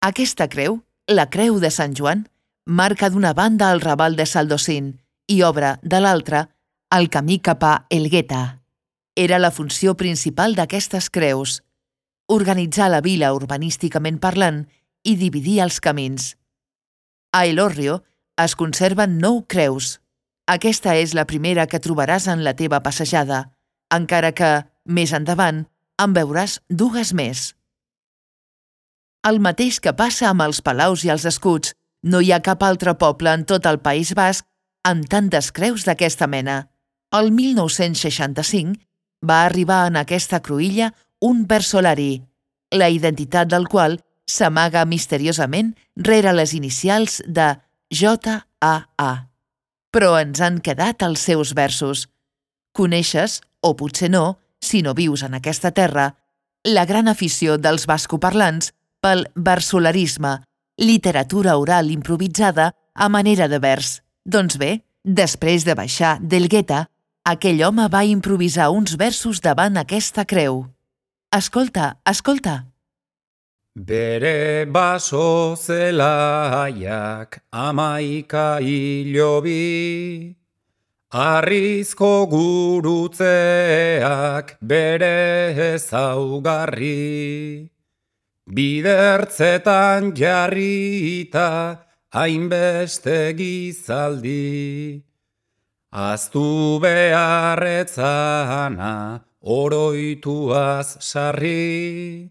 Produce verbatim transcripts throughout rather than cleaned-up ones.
Aquesta creu, la Creu de Sant Joan, marca d'una banda el Raval de Saldocín i obre, de l'altra, el camí cap a Elgueta. Era la funció principal d'aquestes creus: organitzar la vila urbanísticament parlant i dividir els camins. A Elorrio es conserven nou creus. Aquesta és la primera que trobaràs en la teva passejada, encara que, més endavant, en veuràs dues més. El mateix que passa amb els palaus i els escuts, no hi ha cap altre poble en tot el País Basc amb tantes creus d'aquesta mena. El mil nou-cents seixanta-cinc va arribar en aquesta cruïlla un versolari, la identitat del qual s'amaga misteriosament rere les inicials de J A A. Però ens han quedat els seus versos. Coneixes, o potser no, si no vius en aquesta terra, la gran afició dels bascoparlants pel versolarisme, literatura oral improvisada a manera de vers. Doncs bé, després de baixar d'Elgueta, aquell home va improvisar uns versos davant aquesta creu. Escolta, escolta. Bere baso zelaiak amaika hilobi, harrizko gurutzeak bere ezaugarri, bidertzetan jarrita hainbeste gizaldi, aztu beharretzana oroituaz sarri,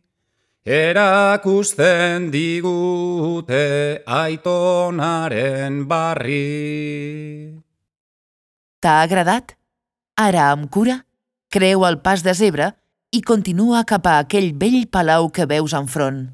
erakusten digute aitonaren barri. T'ha agradat? Ara, amb cura, creu el pas de zebra i continua cap a aquell vell palau que veus enfront.